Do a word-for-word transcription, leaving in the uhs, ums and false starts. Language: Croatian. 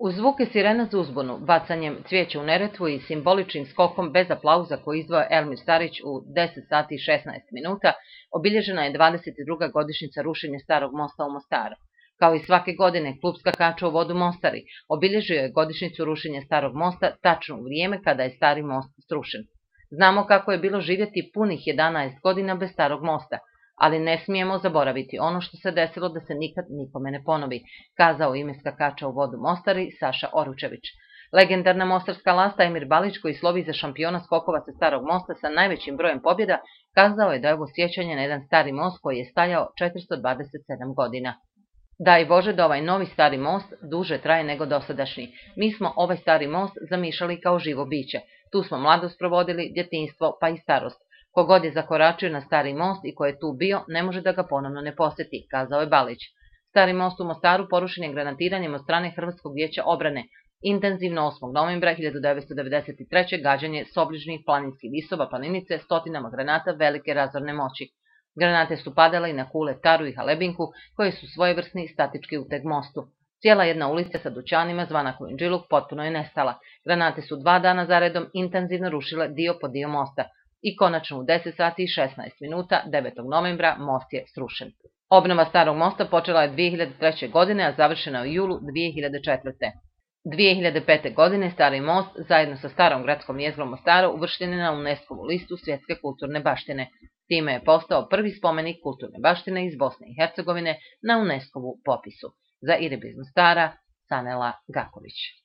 Uz zvuke sirena za uzbunu, bacanjem cvijeća u Neretvu i simboličnim skokom bez aplauza koji izdvaja Elmir Starić u deset sati i šesnaest minuta, obilježena je dvadeset druga godišnjica rušenja Starog mosta u Mostaru. Kao i svake godine, klub skakača u vodu Mostari obilježio je godišnjicu rušenja Starog mosta tačno u vrijeme kada je Stari most srušen. Znamo kako je bilo živjeti punih jedanaest godina bez Starog mosta, ali ne smijemo zaboraviti ono što se desilo da se nikad nikome ne ponovi, kazao u ime skakača u vodu Mostari Saša Oručević. Legendarna mostarska lasta Emir Balić, koji slovi za šampiona skokova sa Starog mosta sa najvećim brojem pobjeda, kazao je da je ovo sjećanje na jedan stari most koji je stajao četiristo dvadeset sedam godina. Daj Bože da ovaj novi stari most duže traje nego dosadašnji. Mi smo ovaj stari most zamišljali kao živo biće. Tu smo mladost provodili, djetinjstvo pa i starost. Kogod je zakoračio na stari most i ko je tu bio, ne može da ga ponovno ne posjeti, kazao je Balić. Stari most u Mostaru porušen je granatiranjem od strane Hrvatskog vijeća obrane. Intenzivno osmog novembra hiljadu devetsto devedeset treće. gađanje s obližnjih planinskih visova planinice stotinama granata velike razorne moći. Granate su padale i na Kule, Taru i Halebinku, koje su svojevrsni statički uteg mostu. Cijela jedna ulica sa dućanima zvana Kujundžiluk potpuno je nestala. Granate su dva dana zaredom intenzivno rušile dio po dio mosta. I konačno u deset sati i šesnaest minuta devetog novembra most je srušen. Obnova Starog mosta počela je dvije hiljade treće. godine, a završena u julu dvije hiljade četvrte. dvije hiljade pete. godine Stari most zajedno sa starom gradskom jezgrom Mostaru uvršten je na UNESCO-vu listu svjetske kulturne baštine. Time je postao prvi spomenik kulturne baštine iz Bosne i Hercegovine na UNESCO-vu popisu. Za Irbis Mostara, Sanela Gaković.